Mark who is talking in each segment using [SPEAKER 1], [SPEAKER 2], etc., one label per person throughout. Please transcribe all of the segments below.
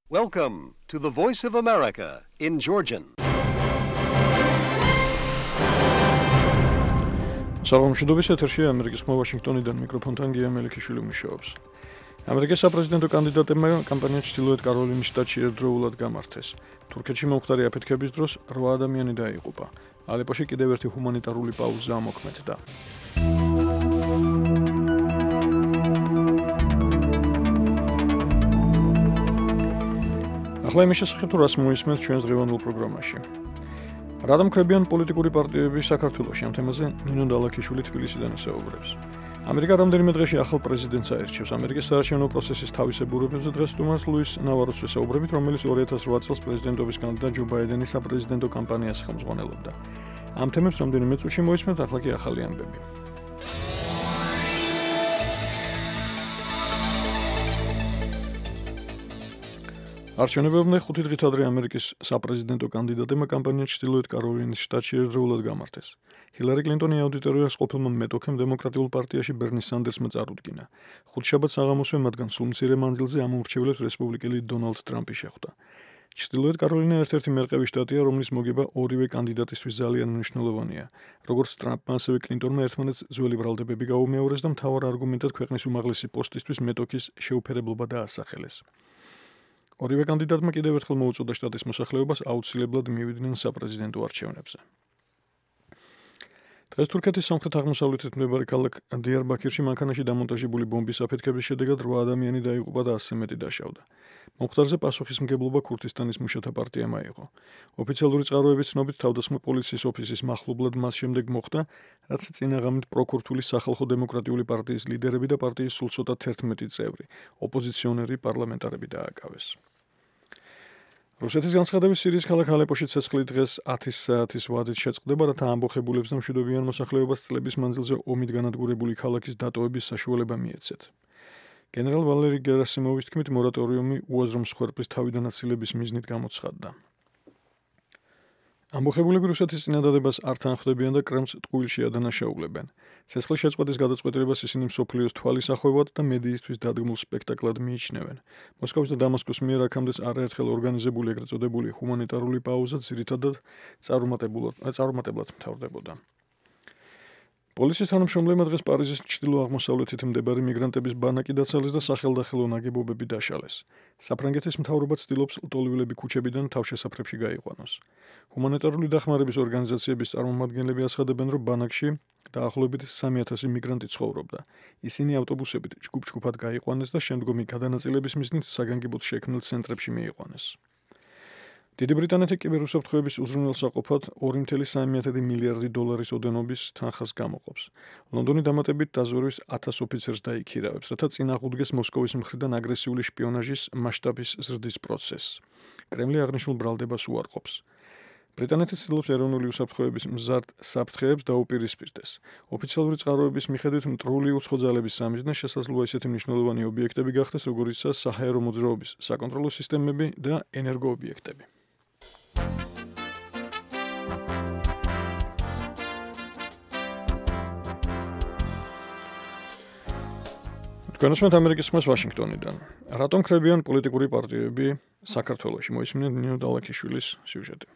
[SPEAKER 1] Welcome to the Voice of America in Georgian.
[SPEAKER 2] Საღამოშიდობის ეთერშია ამერიკის ხმა ვაშინგტონიდან მიკროფონთან გია მელიქიშვილი მუშაობს. ამერიკის საპრეზიდენტო კანდიდატებმა კამპანია ჩრდილოეთ კაროლინის შტატში ერთდროულად გამართეს. თურქეთში მომხდარი აფეთქების დროს 8 ადამიანი დაიღუპა. ალეპოში კიდევ ერთი ჰუმანიტარული პაუზა ამოქმედდა. ახლა იმის შესახებ თუ რას მოისმენთ ჩვენს დღევანდელ პროგრამაში. რატომ ხრებიან პოლიტიკური პარტიები საქართველოში? ამ თემაზე ნინო დალაქიშვილი თბილისიდან ესაუბრებს. ამერიკა რამდენიმე დღეში ახალ პრეზიდენტს აერჩევს. ამერიკის საარჩევნო პროცესის თავისებურებებზე დღეს სტუმარს ლუის ნავაროს ესაუბრებით, რომელიც 2008 წელს პრეზიდენტობის კანდიდატ ჯო ბაიდენის საპრეზიდენტო კამპანიას ხელმძღვანელობდა. ამ თემებს რამდენიმე წუთში მოისმენთ, ახლა კი ახალი ამბები. არჩევნებამდე 5 დღით ადრე ამერიკის საპრეზიდენტო კანდიდატებმა კამპანია ჩრდილოეთ კაროლინის შტატში ერთდროულად გამართეს. ჰილარი კლინტონი აუდიტორიას ყოფილმა მეტოქემ დემოკრატიულ პარტიაში ბერნი სანდერსმა წარუდგინა. ხუთშაბათ საღამოსვე მათგან სულ მცირე მანძილზე ამ უმრჩევლებს რესპუბლიკელი დონალდ ტრამპი შეხვდა. ჩრდილოეთ კაროლინა ერთ-ერთი მერყევი შტატია, რომლის მოგება ორივე კანდიდატისთვის ძალიან მნიშვნელოვანია. როგორც ტრამპმა, ასევე კლინტონმა ერთმანეთს ძველი ბრალდებები გაუმეორეს და მთავარ არგუმენტად ქვეყნის უმაღლესი პოსტისთვის მეტოქის შეუფერებლობა დაასახელეს. ორივე კანდიდატმა კიდევ ერთხელ მოუწოდა შტატის მოსახლეობას აუცილებლად მივიდნენ საპრეზიდენტო არჩევნებზე. დღეს თურქეთის სამხრეთ-აღმოსავლეთით მდებარე ქალაქ დიარბაქირში მანქანაში დამონტაჟებული ბომბის აფეთქების შედეგად 8 ადამიანი დაიღუპა და 100 მეტი დაშავდა. მომხდარზე პასუხისმგებლობა ქურთისტანის მუშათა პარტიამ აიღო. ოფიციალური წყაროების ცნობით თავდასხმა პოლიციის ოფისის მახლობლად მას შემდეგ მოხდა, რაც წინაღამით პროქურთული სახალხო დემოკრატიული პარტიის ლიდერები და პარტიის სულ ცოტა 11 წევრი, ოპოზიციონერი პარლამენტარები დააკავეს. რუსეთის განცხადებით სირიის ქალაქ ალეპოში ცეცხლი დღეს 10 საათის ვადით შეწყდება, რათა ამბოხებულებს და მშვიდობიან მოსახლეობას წლების მანძილზე ომით განადგურებული ქალაქის დატოვების საშუალება მიეცეთ. გენერალ ვალერი გერასიმოვის თქმით, მორატორიუმი უაზრო მსხვერპლის თავიდანაცილების მიზნით გამოცხადდა. ამბოხებულები რუსეთის წინადადებას არ თანხმდებიან და კრემლს ტყუილში ადანაშაულებენ. ცეცხლის შეწყვეტის გადაწყვეტილებას ისინი მსოფლიოს თვალისახვევად და მედიისთვის დადგმულ სპექტაკლად მიიჩნევენ. მოსკოვის და დამასკოს მიერ აქამდე არაერთხელ ორგანიზებული ეგრეთ წოდებული ჰუმანიტარული პაუზა ძირითადად წარუმატებლად მთავრდებოდა. პოლიციის თანამშრომლებმა დღეს პარიზის ჩრდილო-აღმოსავლეთით მდებარე მიგრანტების ბანაკი დაცალეს და სახელდახელო ნაგებობები დაშალეს. საფრანგეთის მთავრობა ცდილობს ლტოლვილები ქუჩებიდან თავშესაფრებში გაიყვანოს. ჰუმანიტარული დახმარების ორგანიზაციების წარმომადგენლები აცხადებენ, რომ ბანაკში დაახლოებით 3000 მიგრანტი ცხოვრობდა. ისინი ავტობუსებით ჯგუფ-ჯგუფად გაიყვანეს და შემდგომი გადანაწილების მიზნით საგანგებოდ შექმნილ ცენტრებში მიიყვანეს. დიდი ბრიტანეთი კიბერუსაფრთხოების უზრუნველსაყოფად 2.3 მილიარდი დოლარის ოდენობის თანხას გამოყოფს. ლონდონი დამატებით დაზვერვის 1000 ოფიცერს დაიქირავებს, რათა წინააღუდგეს მოსკოვის მხრიდან აგრესიული შპიონაჟის მასშტაბის ზრდის პროცესს. კრემლი აღნიშნულ ბრალდებას უარყოფს. ბრიტანეთი ცდილობს ეროვნული უსაფრთხოების მზარდ საფრთხეებს დაუპირისპირდეს. ოფიციალური წყაროების მიხედვით მტრული უცხო ძალების სამიზნე შესაძლოა ისეთი მნიშვნელოვანი ობიექტები გახდეს, როგორიცაა საჰაერო მოძრაობის საკონტროლო სისტემები და ენერგოობიექტები. განსმენთ ამერიკის ხმას ვაშინგტონიდან. რატომ ხრებიან პოლიტიკური პარტიები საქართველოში? მოისმინეთ ნინო დალაქიშვილის სიუჟეტი.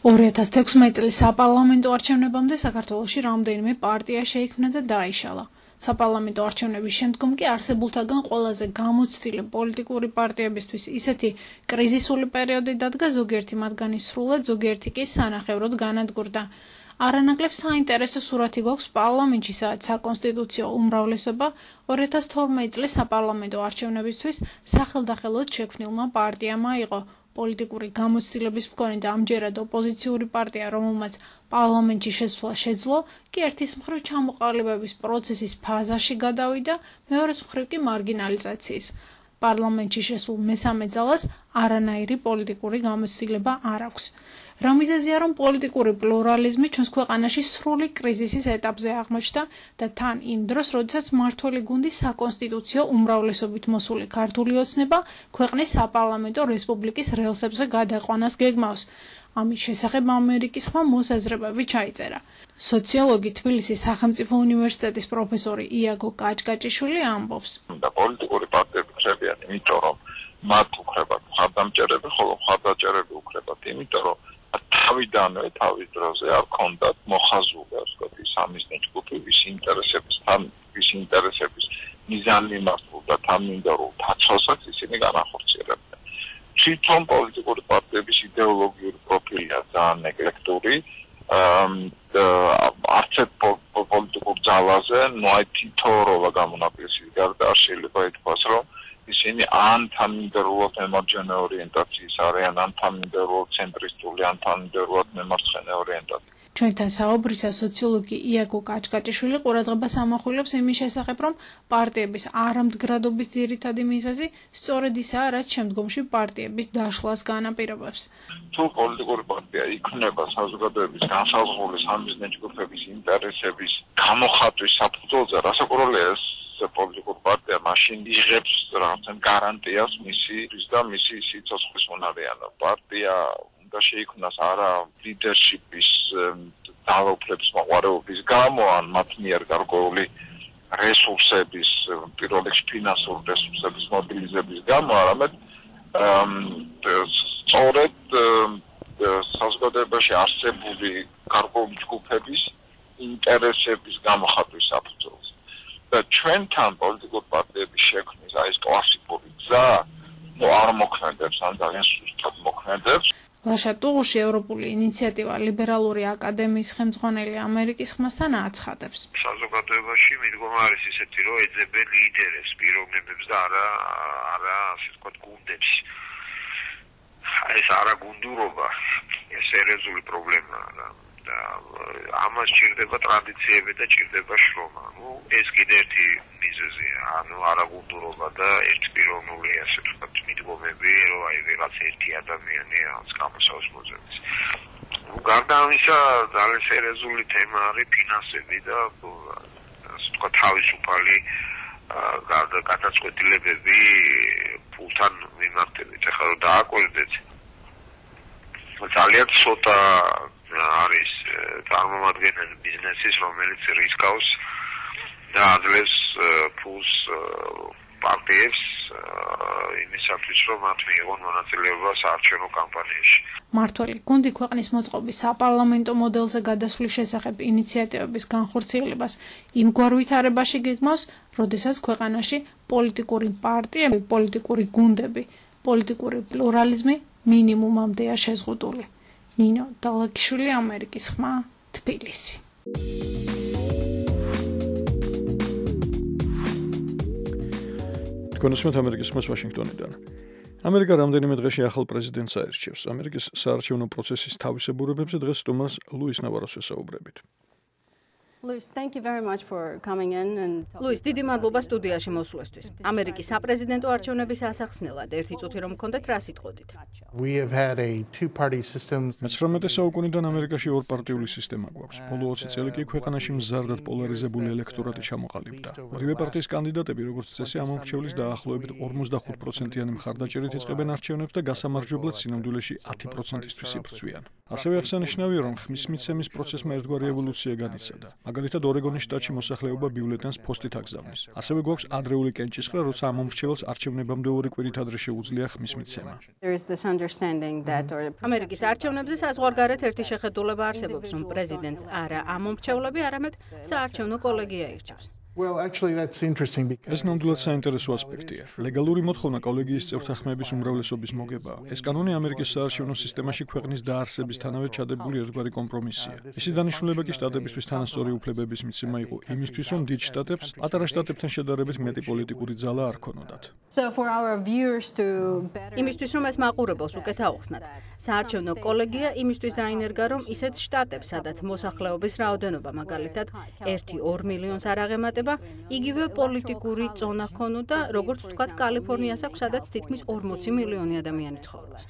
[SPEAKER 3] 2016 წლის საპარლამენტო არჩევნებამდე საქართველოში რამდენიმე პარტია შეიქმნა და დაიშალა. საპარლამენტო არჩევნების შემდგომ კი არსებულთაგან ყველაზე გამოცდილი პოლიტიკური პარტიებისთვის ისეთი კრიზისული პერიოდი დადგა, ზოგიერთი მათგანი სრულად, ზოგიერთი კი სანახევროდ განადგურდა. არანაკლებ საინტერესო სურათი გვაქვს პარლამენტში, სადაც საკონსტიტუციო უმრავლესობა 2012 წლის საპარლამენტო არჩევნებისთვის სახელდახელოდ შექმნილმა პარტიამ აიღო. პოლიტიკური გამოცდილების მქონე და ამჯერად ოპოზიციური პარტია, რომელმაც პარლამენტში შესვლა შეძლო, კი ერთის მხრივ ჩამოყალიბების პროცესის ფაზაში გადავიდა, მეორეს მხრივ კი მარგინალიზაციის. პარლამენტში შესულ მესამე ძალას არანაირი პოლიტიკური გამოცდილება არ აქვს. რა მიზეზია, რომ პოლიტიკური პლურალიზმი ჩვენს ქვეყანაში სრული კრიზისის ეტაპზე აღმოჩნდა და თან იმ დროს, როდესაც მმართველი გუნდი საკონსტიტუციო უმრავლესობით მოსული ქართული ოცნება ქვეყნის საპარლამენტო რესპუბლიკის რელსებზე გადაყვანას გეგმავს. ამის შესახებ ამერიკის ხმა მოსაზრებები ჩაიწერა. სოციოლოგი თბილისის სახელმწიფო უნივერსიტეტის პროფესორი იაგო კაჭკაჭიშვილი ამბობს.
[SPEAKER 4] და პოლიტიკური პარტიები ხრებიან, იმიტომ რომ მათ უხრებ დამჭერები, ხოლო მხარდაჭერები უკრებათ, იმიტომ რომ თავიდანვე თავის დროზე არ ქონდათ მოხაზული, ასე ვთქვათ, ის სამიზნე ჯგუფი, ვის ინტერესების მიზანმიმართულ და თანმიმდევრულ დაცვასაც ისინი განახორციელებდნენ. თვითონ პოლიტიკური პარტიების იდეოლოგიური პროფილია ძალიან ეკლექტური, არც ერთ პოლიტიკურ ძალაზე, აი თითო როლა გამონაკლისის გარდა არ შეიძლება ითქვას, რომ ისინი ან თანმიმდევრულად მემარჯვენე ორიენტაციის არიან, ან თანმიმდევრულად ცენტრისტული, ან თანმიმდევრულად მემარცხენე ორიენტაციის.
[SPEAKER 3] ჩვენთან საუბრისას სოციოლოგი იაკო კაჭკაჭიშვილი ყურადღებას ამახვილებს იმის შესახებ, რომ პარტიების არამდგრადობის ძირითადი მიზეზი სწორედ ისაა, რაც შემდგომში პარტიების დაშლას განაპირობებს.
[SPEAKER 4] თუ პოლიტიკური პარტია იქმნება საზოგადოების განსაზღვრული სამიზნე ჯგუფების ინტერესების გამოხატვის საფუძველზე, რასაკვირველია ეს პოლიტიკური პარტია მაშინ იღებს რაღაცენ გარანტიას მისი სიცოცხლის უნარიანობა. პარტია და შეიქმნას არა ლიდერშიპის ძალაუფლების მოყვარეობის გამო, ან მათ მიერ გარკვეული რესურსების, პირველ რიგში ფინანსური რესურსების მობილიზების გამო, არამედ სწორედ საზოგადოებაში არსებული გარკვეული ჯგუფების ინტერესების გამოხატვის საფუძველზე. და ჩვენთან პოლიტიკურ პარტიების შექმნის აი ეს კლასიკური გზა არ მოქმედებს, ან ძალიან სუსტად მოქმედებს.
[SPEAKER 3] ლაშატუღუში ევროპული ინიციატივა ლიბერალური აკადემიის ხელმძღვანელი ამერიკის ხმასთან აცხადებს.
[SPEAKER 5] საზოგადოებაში მიდგომა არის ისეთი, რომ ეძებენ ლიდერებს, პიროვნებებს და არა ასე ვთქვათ გუნდებს. ეს არაგუნდურობა, ეს სერიოზული პრობლემაა და ამას ჭირდება ტრადიციები და ჭირდება შრომა. ეს კიდე ერთი მიზეზია, არაგუნდურობა და ერთპიროვნული ასე ვთქვათ მიდგომები, რომ აი რაღაც ერთი ადამიანი რაღაც გამოსავს მოძებნის. გარდა ამისა, ძალიან სერიოზული თემა არის ფინანსები და ასე ვთქვათ თავისუფალი გადაწყვეტილებები ფულთან მიმართებით. ახლა რომ დააკვირდეთ, ძალიან ცოტა არის წარმომადგენელი ბიზნესის, რომელიც რისკავს და აძლევს ფულს პარტიებს იმისათვის, რომ მათ მიიღონ მონაწილეობა საარჩევნო კამპანიაში.
[SPEAKER 3] მართველი გუნდი ქვეყნის მოწყობის საპარლამენტო მოდელზე გადასვლის შესახებ ინიციატივების განხორციელებას იმგვარ ვითარებაში გეგმავს, როდესაც ქვეყანაში პოლიტიკური პარტიები, პოლიტიკური გუნდები, პოლიტიკური პლურალიზმი მინიმუმამდეა შეზღუდული. ნინო დალაგიშვილი, ამერიკის ხმა, თბილისი.
[SPEAKER 2] კონსუმენტ ამერიკის ხმას ვაშინგტონიდან. ამერიკა რამდენიმე დღეში ახალ პრეზიდენტს აერჩევს. ამერიკის საარჩევნო პროცესის თავისებურებებზე დღეს სტუმარს ლუის ნავაროს ვესაუბრებით.
[SPEAKER 6] ლუის, დიდი მადლობა სტუდიაში მოსვლისთვის. ამერიკის საპრეზიდენტო არჩევნების ასახსნელად ერთი წუთი რომ გქონდეთ, რა სიტყვოდით?
[SPEAKER 2] მე-19 საუკუნიდან ამერიკაში ორპარტიული სისტემა გვაქვს. ბოლო 20 წელი კი ქვეყანაში მზარდად პოლარიზებული ელექტორატი ჩამოყალიბდა. ორივე პარტიის კანდიდატები, როგორც წესი, ამომრჩევლის დაახლოებით 45%-იანი მხარდაჭერით იწყებენ არჩევნებს და გასამარჯვებლად სინამდვილეში 10%-ისთვის იბრძვიან. ასევე აღსანიშნავია, რომ ხმის მიცემის პროცესმა ერთგვარი ევოლუცია განიცადა. მაგალითად, ორეგონის შტატში მოსახლეობა ბიულეტენს ფოსტით აგზავნის. ასევე გვაქვს ადრეული კენჭისყრა, როცა ამომრჩეველს არჩევნებამდე 2 კვირით ადრე შეუძლია ხმის მიცემა.
[SPEAKER 6] ამერიკის არჩევნებზე საზღვარგარეთ ერთი შეხედულება არსებობს, რომ პრეზიდენტს არა ამომრჩევლები, არამედ საარჩევნო კოლეგია ირჩევს.
[SPEAKER 2] ეს ნამდვილად საინტერესო ასპექტია. ლეგალური მოთხოვნა კოლეგიის წევრთა ხმების უმრავლესობის მოგებაა. ეს კანონი ამერიკის საარჩევნო სისტემაში ქვეყნის დაარსებისთანავე ჩადებული ერთგვარი კომპრომისია. მისი დანიშნულება კი შტატებისთვის თანასწორი უფლებების მიცემა იყო იმისთვის, რომ დიდ შტატებს პატარა შტატებთან შედარებით მეტი პოლიტიკური ძალა არ ქონოდათ.
[SPEAKER 6] იმისთვის, რომ ეს მაყურებელს უკეთ აუხსნათ, საარჩევნო კოლეგია იმისთვის დაინერგა, რომ ისეთ შტატებს, სადაც მოსახლეობის რაოდენობა მაგალითად 1-2 მილიონს არ აღემატება, იგივე პოლიტიკური ზონა ჰქონოდა, როგორც ვთქვათ, კალიფორნიას აქვს, სადაც თითქმის 40 მილიონი ადამიანი ცხოვრობს.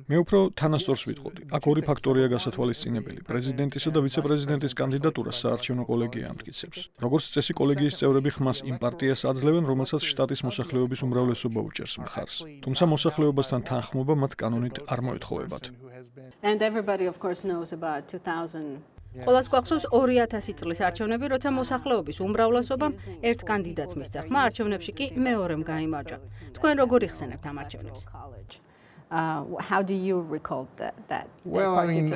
[SPEAKER 2] მე უფრო თანასწორს ვიტყოდი. აქ ორი ფაქტორია გასათვალისწინებელი. პრეზიდენტისა და ვიცე-პრეზიდენტის კანდიდატურას საარჩევნო კოლეგია ამტკიცებს. როგორც წესი, კოლეგიის წევრები ხმას იმ პარტიას აძლევენ, რომელსაც შტატის მოსახლეობის უმრავლესობა უჭერს მხარს. თუმცა მოსახლეობასთან თანხმობა მათ კანონით არ მოეთხოვებათ.
[SPEAKER 6] ყველას გვახსოვს 2000 წლის არჩევნები, როცა მოსახლეობის უმრავლესობამ ერთ კანდიდატს მისცა ხმა, არჩევნებში კი მეორემ გაიმარჯვა. თქვენ როგორ იხსენებთ ამ არჩევნებს?
[SPEAKER 7] How do you recall that?
[SPEAKER 8] Well, I mean,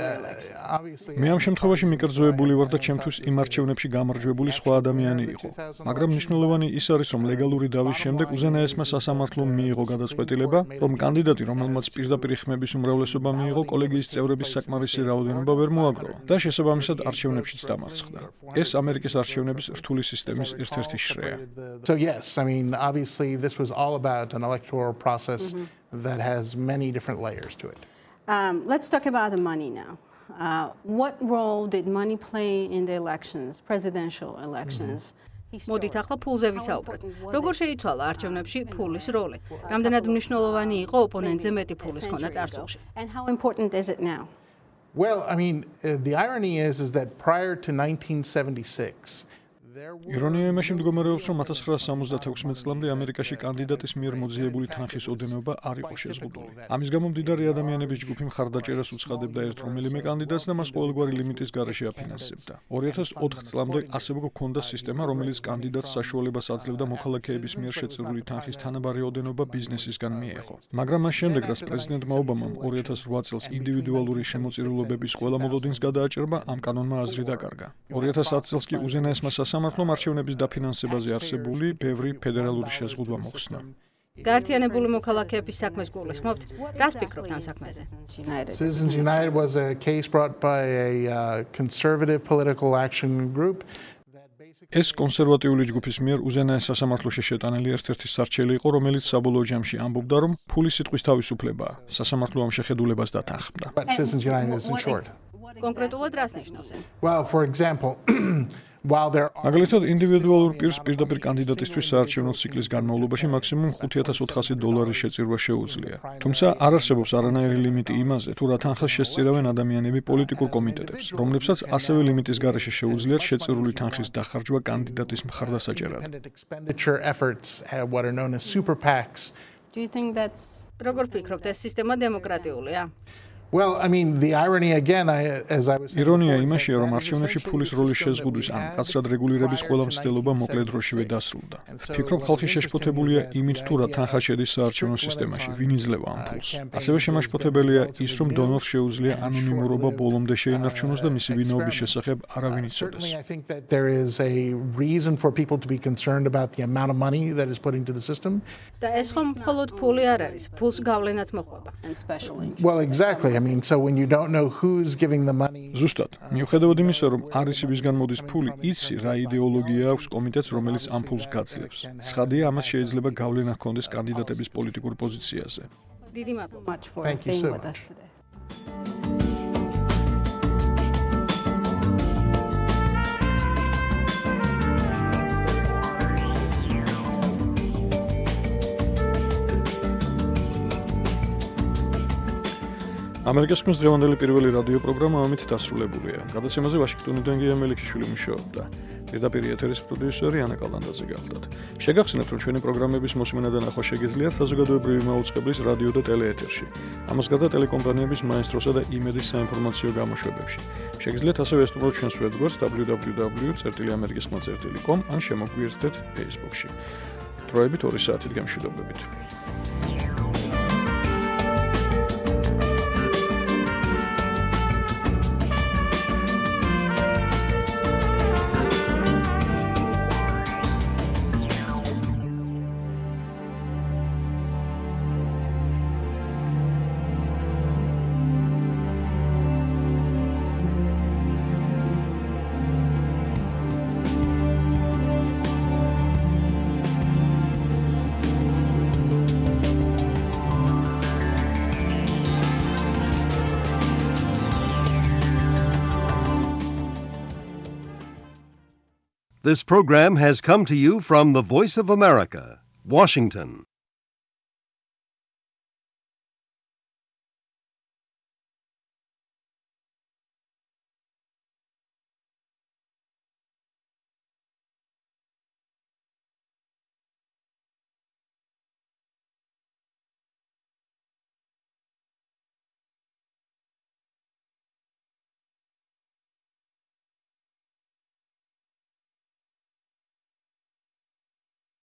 [SPEAKER 8] obviously.
[SPEAKER 2] მე ამ შემთხვევაში მიკერძოებული ვარ და ჩემთვის იმ არჩევნებში გამარჯვებული სხვა ადამიანი იყო. მაგრამ მნიშვნელოვანი ის არის, რომ ლეგალური დავის შემდეგ უზენაესმა სასამართლომ მიიღო გადაწყვეტილება, რომ კანდიდატი, რომელმაც პირდაპირ ხმების უმრავლესობა მიიღო, კოლეგიის წევრების საკმარისი რაოდენობა ვერ მოაგროვა და შესაბამისად არჩევნებშიც დამარცხდა. ეს ამერიკის არჩევნების რთული სისტემის ერთ-ერთი შრეა.
[SPEAKER 8] So yes, I mean, obviously this was all about an electoral process that has many different layers to it.
[SPEAKER 7] Let's talk about the money now. What role did money play in the elections, presidential elections?
[SPEAKER 6] მოდით ახლა ფულზე ვისაუბროთ. როგორ შეიცვალა არჩევნებში ფულის როლი? რამდენად მნიშვნელოვანი იყო ოპონენტზე მეტი ფულის ქონა წარსულში?
[SPEAKER 7] And how important is it now?
[SPEAKER 8] Well, I mean, the irony is that prior to 1976,
[SPEAKER 2] ირონია იმაში მდგომარეობს, რომ 1976 წლამდე ამერიკაში კანდიდატის მიერ მოძიებული თანხის ოდენობა არ იყო შეზღუდული. ამის გამო მდიდარი ადამიანების ჯგუფი მხარდაჭერას უცხადებდა ერთ რომელიმე კანდიდატს და მას ყოველგვარი ლიმიტის გარეშე აფინანსებდა. 2004 წლამდე ასევე გვქონდა სისტემა, რომელიც კანდიდატს საშუალებას აძლევდა მოქალაქეების მიერ შეწირული თანხის თანაბარი ოდენობა ბიზნესისგან მიეღო. მაგრამ მას შემდეგ, რაც პრეზიდენტმა ობამამ 2008 წელს ინდივიდუალური შემოწირულობების ყველა მოლოდინს გადააჭრა, ამ კანონმა აზრი დაკარგა. 2010 წელს კი უზენაესმა სასამართლომ არჩევნების დაფინანსებაზე არსებული ბევრი ფედერალური შეზღუდვა მოხსნა.
[SPEAKER 6] გაერთიანებული მოქალაქეების საქმეს გულისხმობთ? რას ფიქრობთ ამ საქმეზე?
[SPEAKER 8] Citizens United was a case brought by a conservative political action group.
[SPEAKER 2] ეს კონსერვატიული ჯგუფის მიერ უზენაეს სასამართლოში შეტანილი ერთ-ერთი სარჩელი იყო, რომელიც საბოლოო ჯამში ამბობდა, რომ ფულის სიტყვის თავისუფლებაა. სასამართლო ამ შეხედულებას დათანხმდა.
[SPEAKER 8] But Citizens United is in short.
[SPEAKER 6] კონკრეტულად რას ნიშნავს ეს?
[SPEAKER 8] Well, for example, while there are
[SPEAKER 2] მაგალითად, ინდივიდუალურ პირს პირდაპირ კანდიდატისთვის საარჩევნო ციკლის განმავლობაში მაქსიმუმ $5,400 შეწირვა შეუძლია. თუმცა არ არსებობს არანაირი ლიმიტი იმაზე, თუ რა თანხას შესწირავენ ადამიანები პოლიტიკურ კომიტეტებს, რომლებსაც ასევე ლიმიტის გარეშე შეუძლიათ შეწირული თანხის დახარჯვა კანდიდატის მხარდასაჭერად.
[SPEAKER 8] expenditure efforts, what are known as super PACs.
[SPEAKER 7] Do you think that's
[SPEAKER 6] როგორ ფიქრობთ, ეს სისტემა დემოკრატიულია?
[SPEAKER 8] Well, I mean, the irony again, as I was saying.
[SPEAKER 2] ირონია იმაშია, რომ არჩევნებში ფულის როლის შეზღუდვის ან კაცრად რეგულირების ყველა მცდელობა მოკლე დროშივე დასრულდა. ფიქრობ, ხალხი შეშფოთებულია იმით, თუ რა თანხა შედის საარჩევნო სისტემაში, ვინ იძლევა ამ ფულს. ასევე შემაშფოთებელია ის, რომ დონორს შეუძლია ანონიმურობა ბოლომდე შეინარჩუნოს და მისი ვინაობის შესახებ არავინ იცოდეს.
[SPEAKER 8] I think that there is a reason for people to be concerned about the amount of money that is put into the system.
[SPEAKER 6] და ეს ხომ მხოლოდ ფული არ არის, ფულს გავლენაც მოყვება.
[SPEAKER 7] and special interest?
[SPEAKER 8] Well, exactly. I mean, so when you don't know who's giving the money.
[SPEAKER 2] ზუსტად, მიუხედავად იმისა, რომ არის იმისგან მოდის ფული, იცი რა იდეოლოგია აქვს კომიტეტს, რომელიც ამ ფულს გაძლევს. ცხადია, ამას შეიძლება გავლენა ჰქონდეს კანდიდატების პოლიტიკურ პოზიციაზე.
[SPEAKER 6] დიდი მადლობა.
[SPEAKER 7] Much for
[SPEAKER 8] Thank you
[SPEAKER 7] being
[SPEAKER 8] so
[SPEAKER 7] with
[SPEAKER 8] much.
[SPEAKER 7] us today.
[SPEAKER 2] ამერიკის ხმის დღევანდელი პირველი რადიო პროგრამა ამით დასრულებულია. გადაცემაზე ვაშინგტონიდან გია მელიქიშვილი მუშაობდა. პირდაპირ ეთერის პროდიუსერი ანა კალანდაძე გახლდათ. შეგახსენებთ, რომ ჩვენი პროგრამების მოსმენა და ნახვა შეგიძლიათ საზოგადოებრივი მაუწყებლის რადიო და ტელეეთერში. ამას გარდა ტელეკომპანიების მაესტროსა და იმედის საინფორმაციო გამოშვებებში. შეგიძლიათ ასევე ესწრებოთ ჩვენს ვებგვერდს www.amerikiskhma.com ან შემოგვიერთდეთ Facebook-ში. დროებით 2 საათით გამშვიდობებით.
[SPEAKER 1] This program has come to you from the Voice of America, Washington.